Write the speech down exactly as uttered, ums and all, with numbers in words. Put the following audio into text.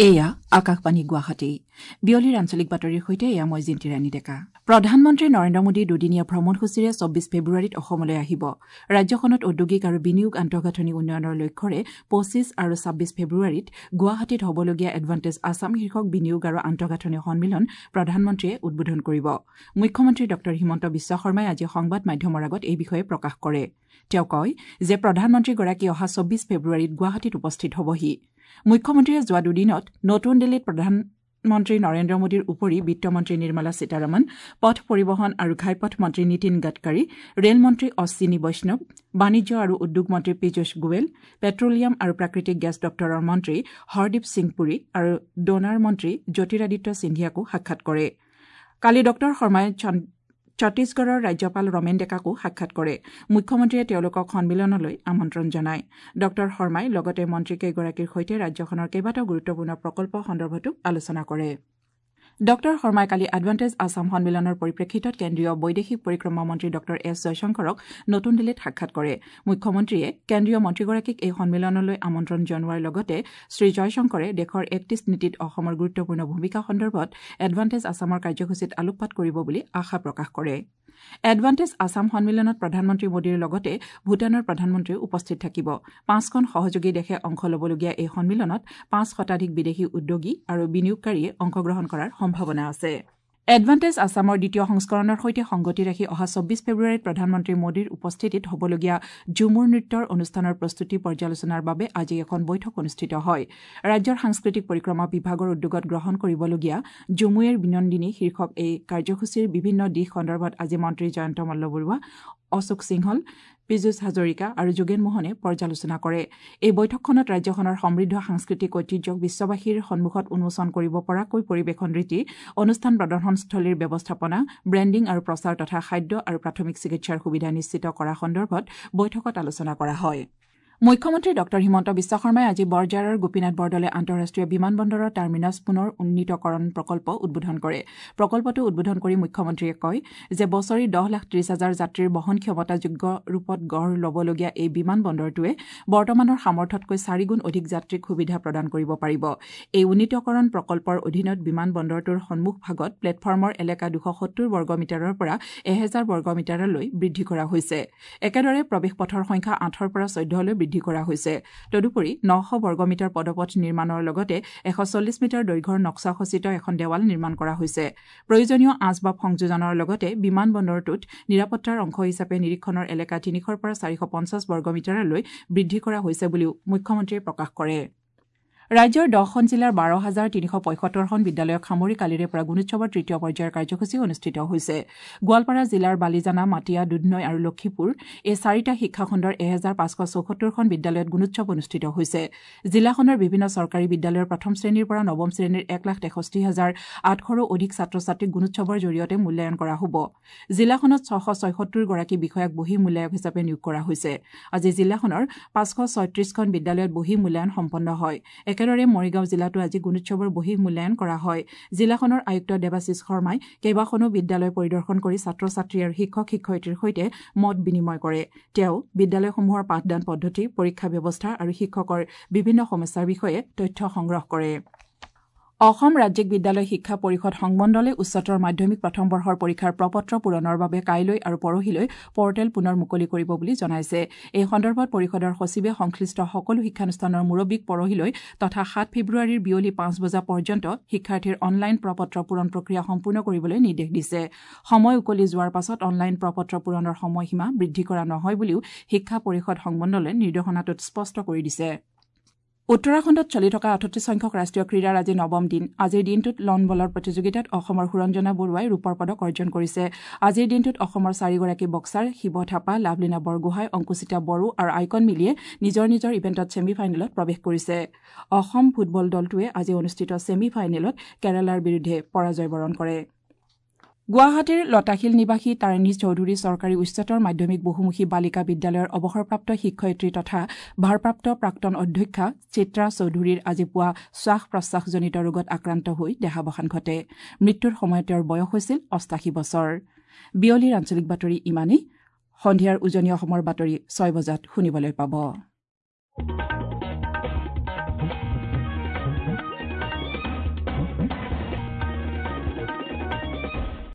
এয়া আকাশবাণী গুৱাহাটী। বিয়লিৰ আঞ্চলিক বাতৰিৰ সৈতে এয়া মই জিন্তি ৰাণী ডেকা। প্ৰধানমন্ত্ৰী নৰেন্দ্ৰ মোদী দুদিনীয়া ভ্ৰমণসূচীৰে চৌব্বিছ ফেব্ৰুৱাৰীত অসমলৈ আহিব। ৰাজ্যখনত ঔদ্যোগিক আৰু বিনিয়োগ আন্তঃগাঁথনি উন্নয়নৰ লক্ষ্যৰে পঁচিছ আৰু ছাব্বিছ ফেব্ৰুৱাৰীত গুৱাহাটীত হ'বলগীয়া এডভান্টেজ আছাম শীৰ্ষক বিনিয়োগ আৰু আন্তঃগাঁথনি সন্মিলন প্ৰধানমন্ত্ৰীয়ে উদ্বোধন কৰিব। মুখ্যমন্ত্ৰী ডঃ হিমন্ত বিশ্ব শৰ্মাই আজি সংবাদ মাধ্যমৰ আগত এই বিষয়ে প্ৰকাশ কৰে। তেওঁ কয় যে প্ৰধানমন্ত্ৰীগৰাকী অহা চৌব্বিছ ফেব্ৰুৱাৰীত গুৱাহাটীত উপস্থিত হ'বহি। মুখ্যমন্ত্ৰীয়ে যোৱা দুদিনত নতুন দিল্লীত প্ৰধানমন্ত্ৰী নৰেন্দ্ৰ মোদীৰ উপৰি বিত্তমন্ত্ৰী নিৰ্মলা সীতাৰমণ, পথ পৰিবহণ আৰু ঘাইপথ মন্ত্ৰী নীতিন গাডকাৰী, ৰেল মন্ত্ৰী অশ্বিনী বৈষ্ণৱ, বাণিজ্য আৰু উদ্যোগ মন্ত্ৰী পীযুষ গোৱেল, পেট্ৰলিয়াম আৰু প্ৰাকৃতিক গেছ দপ্তৰৰ মন্ত্ৰী হৰদীপ সিং পুৰী আৰু ডোনাৰ মন্ত্ৰী জ্যোতিৰাদিত্য সিন্ধিয়াকো সাক্ষাৎ কৰে। কালি ডঃ শৰ্মাই ছত্তীশগড়ৰ ৰাজ্যপাল ৰমেন ডেকাকো সাক্ষাৎ কৰে। মুখ্যমন্ত্ৰীয়ে তেওঁলোকক সন্মিলনলৈ আমন্ত্ৰণ জনায়। ডঃ শৰ্মাই লগতে মন্ত্ৰীকেইগৰাকীৰ সৈতে ৰাজ্যখনৰ কেইবাটাও গুৰুত্বপূৰ্ণ প্ৰকল্প সন্দৰ্ভতো আলোচনা কৰে। ডঃ শৰ্মাই কালি এডভান্টেজ আছাম সন্মিলনৰ পৰিপ্ৰেক্ষিতত কেন্দ্ৰীয় বৈদেশিক পৰিক্ৰমা মন্ত্ৰী ডঃ এছ জয়শংকৰক নতুন দিল্লীত সাক্ষাৎ কৰে। মুখ্যমন্ত্ৰীয়ে কেন্দ্ৰীয় মন্ত্ৰীগৰাকীক এই সন্মিলনলৈ আমন্ত্ৰণ জনোৱাৰ লগতে শ্ৰীজয়শংকৰে দেশৰ এক্ট ইষ্ট নীতিত অসমৰ গুৰুত্বপূৰ্ণ ভূমিকা সন্দৰ্ভত এডভান্টেজ আছামৰ কাৰ্যসূচীত আলোকপাত কৰিব বুলি আশা প্ৰকাশ কৰে। এডভান্টেজ আছাম সন্মিলনত প্ৰধানমন্ত্ৰী মোদীৰ লগতে ভূটানৰ প্ৰধানমন্ত্ৰীও উপস্থিত থাকিব। পাঁচখন সহযোগী দেশে অংশ ল'বলগীয়া এই সন্মিলনত পাঁচ শতাধিক বিদেশী উদ্যোগী আৰু বিনিয়োগকাৰীয়ে অংশগ্ৰহণ কৰাৰ সম্ভাৱনা আছে। এডভান্টেজ আছামৰ দ্বিতীয় সংস্কৰণৰ সৈতে সংগতি ৰাখি অহা চৌব্বিছ ফেব্ৰুৱাৰীত প্ৰধানমন্ত্ৰী মোদীৰ উপস্থিতিত হ'বলগীয়া ঝুমুৰ নৃত্যৰ অনুষ্ঠানৰ প্ৰস্তুতি পৰ্যালোচনাৰ বাবে আজি এখন বৈঠক অনুষ্ঠিত হয়। ৰাজ্যৰ সাংস্কৃতিক পৰিক্ৰমা বিভাগৰ উদ্যোগত গ্ৰহণ কৰিবলগীয়া ঝুমুইৰ বিনন্দিনী শীৰ্ষক এই কাৰ্যসূচীৰ বিভিন্ন দিশ সন্দৰ্ভত আজি মন্ত্ৰী জয়ন্ত মল্ল বৰুৱা, অশোক সিংহল, পীযুষ হাজৰিকা আৰু যোগেন মোহনে পৰ্যালোচনা কৰে। এই বৈঠকখনত ৰাজ্যখনৰ সমৃদ্ধ সাংস্কৃতিক ঐতিহ্যক বিশ্ববাসীৰ সন্মুখত উন্মোচন কৰিব পৰাকৈ পৰিৱেশন ৰীতি, অনুষ্ঠান প্ৰদৰ্শনস্থলীৰ ব্যৱস্থাপনা, ব্ৰেণ্ডিং আৰু প্ৰচাৰ তথা খাদ্য আৰু প্ৰাথমিক চিকিৎসাৰ সুবিধা নিশ্চিত কৰা সন্দৰ্ভত বৈঠকত আলোচনা কৰা হয়। মুখ্যমন্ত্ৰী ডঃ হিমন্ত বিশ্ব শৰ্মাই আজি বৰঝাৰৰ গোপীনাথ বৰদলৈ আন্তঃৰাষ্ট্ৰীয় বিমানবন্দৰৰ টাৰ্মিনাছ পুনৰ উন্নীতকৰণ প্ৰকল্প উদ্বোধন কৰে। প্ৰকল্পটো উদ্বোধন কৰি মুখ্যমন্ত্ৰীয়ে কয় যে বছৰি দহ লাখ ত্ৰিশ হাজাৰ যাত্ৰীৰ বহন ক্ষমতাযোগ্য ৰূপত গঢ় ল'বলগীয়া এই বিমানবন্দৰটোৱে বৰ্তমানৰ সামৰ্থ্যতকৈ চাৰিগুণ অধিক যাত্ৰীক সুবিধা প্ৰদান কৰিব পাৰিব। এই উন্নীতকৰণ প্ৰকল্পৰ অধীনত বিমানবন্দৰটোৰ সন্মুখভাগত প্লেটফৰ্মৰ এলেকা দুশ সত্তৰ বৰ্গ মিটাৰৰ পৰা এহেজাৰ বৰ্গ মিটাৰলৈ বৃদ্ধি কৰা হৈছে। একেদৰে প্ৰৱেশ পথৰ সংখ্যা আঠৰ পৰা চৈধ্যলৈ বৃদ্ধি কৰা হৈছে। তদুপৰি নশ বৰ্গমিটাৰ পদপথ নিৰ্মাণৰ লগতে এশ চল্লিছ মিটাৰ দৈৰ্ঘ্যৰ নক্সাখচিত এখন দেৱাল নিৰ্মাণ কৰা হৈছে। প্ৰয়োজনীয় আচবাব সংযোজনৰ লগতে বিমানবন্দৰটোত নিৰাপত্তাৰ অংশ হিচাপে নিৰীক্ষণৰ এলেকা তিনিশৰ পৰা চাৰিশ পঞ্চাছ বৰ্গমিটাৰলৈ বৃদ্ধি কৰা হৈছে বুলিও মুখ্যমন্ত্ৰীয়ে প্ৰকাশ কৰে। ৰাজ্যৰ দহখন জিলাৰ বাৰ হাজাৰ তিনিশ পঁয়সত্তৰখন বিদ্যালয়ক সামৰি কালিৰে পৰা গুণোৎসৱৰ তৃতীয় পৰ্যায়ৰ কাৰ্যসূচী অনুষ্ঠিত হৈছে। গোৱালপাৰা জিলাৰ বালিজানা, মাটিয়া, দুধনৈ আৰু লক্ষীপুৰ এই চাৰিটা শিক্ষাখণ্ডৰ এহেজাৰ পাঁচশ চৌসত্তৰখন বিদ্যালয়ত গুণোৎসৱ অনুষ্ঠিত হৈছে। জিলাখনৰ বিভিন্ন চৰকাৰী বিদ্যালয়ৰ প্ৰথম শ্ৰেণীৰ পৰা নৱম শ্ৰেণীৰ এক লাখ তেষষ্ঠি হাজাৰ আঠশৰো অধিক ছাত্ৰ ছাত্ৰীক গুণোৎসৱৰ জৰিয়তে মূল্যায়ন কৰা হ'ব। জিলাখনত ছশ ছয়সত্তৰগৰাকী বিষয়াক বহি মূল্যায়ক হিচাপে নিয়োগ কৰা হৈছে। আজি জিলাখনৰ পাঁচশ ছয়ত্ৰিশখন বিদ্যালয়ত বহি মূল্যায়ন সম্পন্ন হয়। একেদৰে মৰিগাঁও জিলাতো আজি গুণোৎসৱৰ বহি মূল্যায়ন কৰা হয়। জিলাখনৰ আয়ুক্ত দেৱাশীষ শৰ্মাই কেইবাখনো বিদ্যালয় পৰিদৰ্শন কৰি ছাত্ৰ ছাত্ৰী আৰু শিক্ষক শিক্ষয়িত্ৰীৰ সৈতে মত বিনিময় কৰে। তেওঁ বিদ্যালয়সমূহৰ পাঠদান পদ্ধতি, পৰীক্ষা ব্যৱস্থা আৰু শিক্ষকৰ বিভিন্ন সমস্যাৰ বিষয়ে তথ্য সংগ্ৰহ কৰে। অসম ৰাজ্যিক বিদ্যালয় শিক্ষা পৰিষদ সংমণ্ডলে উচ্চতৰ মাধ্যমিক প্ৰথম বৰ্ষৰ পৰীক্ষাৰ প্ৰপত্ৰ পূৰণৰ বাবে কাইলৈ আৰু পৰহিলৈ পৰ্টেল পুনৰ মুকলি কৰিব বুলি জনাইছে। এই সন্দৰ্ভত পৰিষদৰ সচিবে সংশ্লিষ্ট সকলো শিক্ষানুষ্ঠানৰ মুৰব্বীক পৰহিলৈ তথা সাত ফেব্ৰুৱাৰীৰ বিয়লি পাঁচ বজা পৰ্যন্ত শিক্ষাৰ্থীৰ অনলাইন প্ৰপত্ৰ পূৰণ প্ৰক্ৰিয়া সম্পূৰ্ণ কৰিবলৈ নিৰ্দেশ দিছে। সময় উকলি যোৱাৰ পাছত অনলাইন প্ৰপত্ৰ পূৰণৰ সময়সীমা বৃদ্ধি কৰা নহয় বুলিও শিক্ষা পৰিষদ সংমণ্ডলে নিৰ্দেশনাটোত স্পষ্ট কৰি দিছে। উত্তৰাখণ্ডত চলি থকা আঠত্ৰিশ সংখ্যক ৰাষ্ট্ৰীয় ক্ৰীড়াৰ আজি নৱম দিন। আজিৰ দিনটোত লন বলৰ প্ৰতিযোগিতাত অসমৰ সুৰঞ্জনা বৰুৱাই ৰূপৰ পদক অৰ্জন কৰিছে। আজিৰ দিনটোত অসমৰ চাৰিগৰাকী বক্সাৰ শিৱ থাপা, লাভলীনা বৰগোহাঁই, অংকুশিতা বড়ো আৰু আইকন মিলিয়ে নিজৰ নিজৰ ইভেণ্টত ছেমি ফাইনেলত প্ৰৱেশ কৰিছে। অসম ফুটবল দলটোৱে আজি অনুষ্ঠিত ছেমি ফাইনেলত কেৰালাৰ বিৰুদ্ধে পৰাজয় বৰণ কৰে। গুৱাহাটীৰ লতাশিল নিবাসী তাৰিণী চৌধুৰী চৰকাৰী উচ্চতৰ মাধ্যমিক বহুমুখী বালিকা বিদ্যালয়ৰ অৱসৰপ্ৰাপ্ত শিক্ষয়িত্ৰী তথা ভাৰপ্ৰাপ্ত প্ৰাক্তন অধ্যক্ষা চিত্ৰা চৌধুৰীৰ আজি পুৱা শ্বাস প্ৰশ্বাসজনিত ৰোগত আক্ৰান্ত হৈ দেহাৱসান ঘটে। মৃত্যুৰ সময়ত তেওঁৰ বয়স হৈছিল অষ্টাশী বছৰ। বিয়লিৰ আঞ্চলিক বাতৰি ইমানেই। সন্ধিয়াৰ উজনি অসমৰ বাতৰি ছয় বজাত শুনিবলৈ পাব।